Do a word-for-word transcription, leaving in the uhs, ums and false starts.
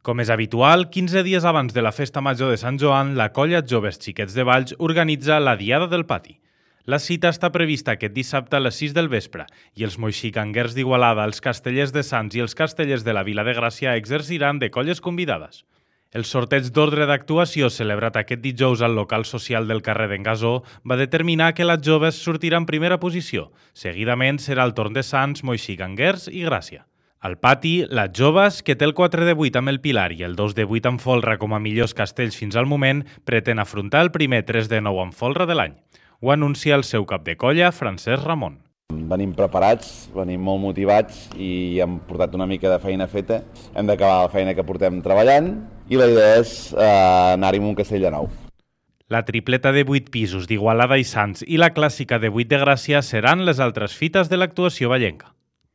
Com és habitual, quinze dies abans de la Festa Major de Sant Joan, la colla Joves Xiquets de Valls organitza la Diada del Pati. La cita està prevista aquest dissabte a les sis del vespre i els moixicanguers d'Igualada, els castellers de Sants i els castellers de la Vila de Gràcia exerciran de colles convidades. El sorteig d'ordre d'actuació celebrat aquest dijous al local social del carrer d'en Gasó va determinar que les joves sortiran en primera posició. Seguidament serà el torn de Sants, moixicanguers i Gràcia. Al pati, les joves, que té el quatre de vuit amb el Pilar i el dos de vuit amb folre com a millors castells fins al moment, pretén afrontar el primer tres de nou amb folre de l'any. Ho anuncia el seu cap de colla, Francesc Ramon. Venim preparats, venim molt motivats i hem portat una mica de feina feta. Hem d'acabar la feina que portem treballant i la idea és eh, anar-hi amb un castell de nou. La tripleta de vuit pisos d'Igualada i Sants i la clàssica de vuit de Gràcia seran les altres fites de l'actuació vallenca.